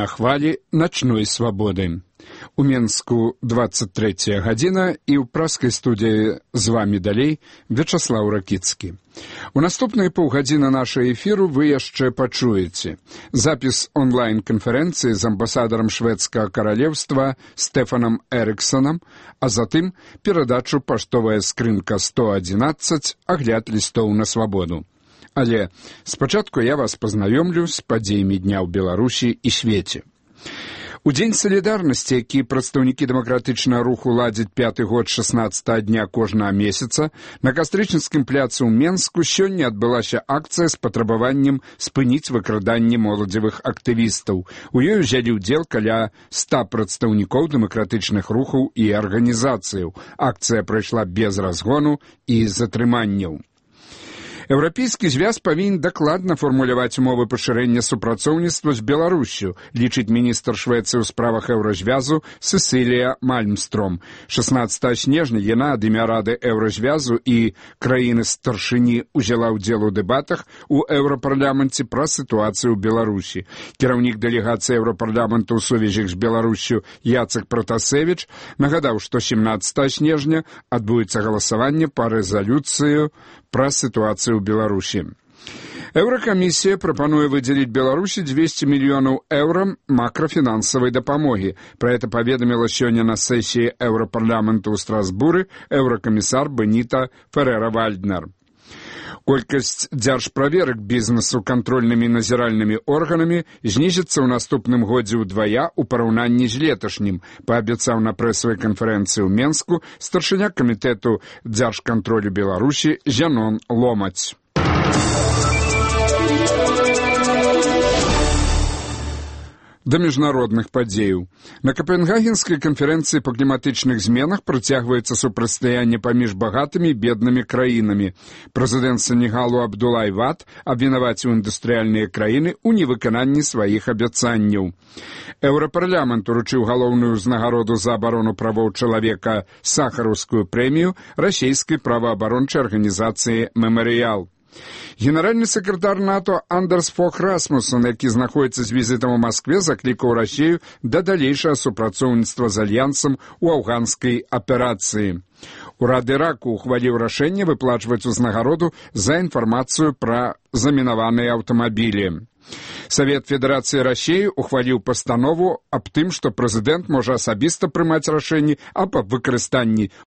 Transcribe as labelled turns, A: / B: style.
A: на хвалі начной свабоды. У Менску 23 гадзіна і ў праскай студыі з вамі далей Вячаслаў Ракіцкі. У наступныя паўгадзіны нашага эфіру вы яшчэ пачуеце запіс онлайн-канферэнцыі з амбасадарам шведскага каралеўства Стефанам Эрыксонам, а затым перадачу «Паштовая скрынка 111. Агляд лістоў на свабоду». Але спачатку я вас пазнаёмлю з падзеямі дня ў Беларусі і свеце. У Дзень салідарнасці, які прадстаўнікі дэмакратычнага руху ладзяць 5-й год 16-го дня кожнага месяца, на Кастрычніцкім пляцы ў Менску сёння адбылася акцыя з патрабаваннем спыніць выкраданне моладзевых актывістаў. У ёй узялі ўдзел каля 100 прадстаўнікоў дэмакратычных рухаў і арганізацыяў. Акцыя прайшла без разгону і затрыманняў. Еўрапейскі звяз павінен дакладна фармуляваць умовы пашырэння супрацоўніцтва з Беларусю, лічыць міністр Швецыі ў справах еўразвязу Сесілія Мальмстром. 16 снежня яна ад імя Рады еўразвязу і краіны-старшыні узяла ўдзел у дэбатах у еўрапарламенце пра сітуацыю ў Беларусі. Кіраўнік дэлегацыі еўрапарламенту ў сувязях з Беларусю Яцек Пратасевіч нагадаў, што 17 снежня адбудзецца галасаванне па рэзалюцыю пра сітуацыю ў Беларусі. Еўракамісія прапануе выдзеліць Беларусі 200 мільёнаў еўра макрафінансавай дапамогі. Пра гэта паведаміла сёння на сесіі еўрапарламенту ў Страсбуры еўракамісар Беніта Ферера-Вальднер. Колькасць дзяржправерак бізнесу кантрольнымі і назіральнымі органамі знізіцца ў наступным годзе ўдвая ў параўнанні з леташнім, паабяцаў на прэсавай канферэнцыі ў Менску старшыня камітэту дзяржкантролю Беларусі Зянон Ломаць. Да міжнародных падзеяў. На Капенгагенскай канферэнцыі па кліматычных зменах працягваецца супрацьстаянне паміж багатымі і беднымі краінамі. Прэзідэнт Сенегалу Абдулай Вад абвінаваціў індустрыяльныя краіны ў невыкананні сваіх абяцанняў. Еўрапарламент уручыў галоўную ўзнагароду за абарону правоў чалавека сахараўскую прэмію расійскай праваабарончай арганізацыі «Мемарыял». Генеральны сакратар НАТО Андерс Фог Расмуссен, які знаходзіцца з візітам у Маскве, заклікаў Расію да далейшага супрацоўніцтва з альянсам у афганскай аперацыі. Урад Іраку ухваліў рашэнне выплачваць узнагароду за інфармацыю пра замінаваныя аўтамабілі. Савет Федэрацыі Расіі ухваліў пастанову аб тым, што прэзідэнт можа асабіста прымаць рашэнні аб выкарыстанні